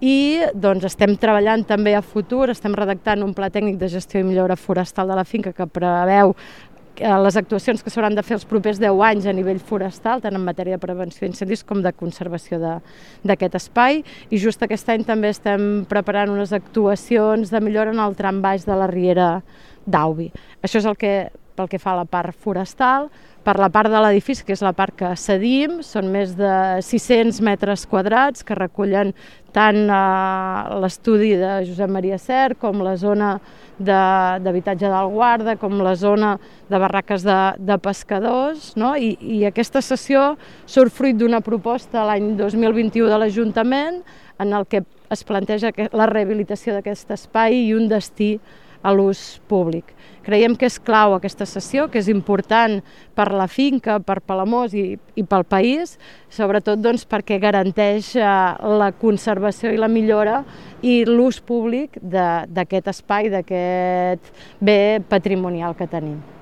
I doncs, estem treballant també a futur, estem redactant un pla tècnic de gestió i millora forestal de la finca que preveu les actuacions que s'hauran de fer els propers 10 anys a nivell forestal, tant en matèria de prevenció d'incendis com de conservació d'aquest espai. I just aquest any també estem preparant unes actuacions de millora en el tram baix de la riera d'Aubi. Això és pel que fa a la part forestal. Per la part de l'edifici, que és la part que cedim, són més de 600 metres quadrats que recullen tant l'estudi de Josep Maria Sert com la zona d'habitatge del guarda, com la zona de barraques de pescadors, no? I aquesta cessió surt fruit d'una proposta l'any 2021 de l'Ajuntament en el que es planteja la rehabilitació d'aquest espai i un destí a l'ús públic. Creiem que és clau aquesta cessió, que és important per la finca, per Palamós i pel país, sobretot doncs, perquè garanteix la conservació i la millora i l'ús públic d'aquest espai, d'aquest bé patrimonial que tenim.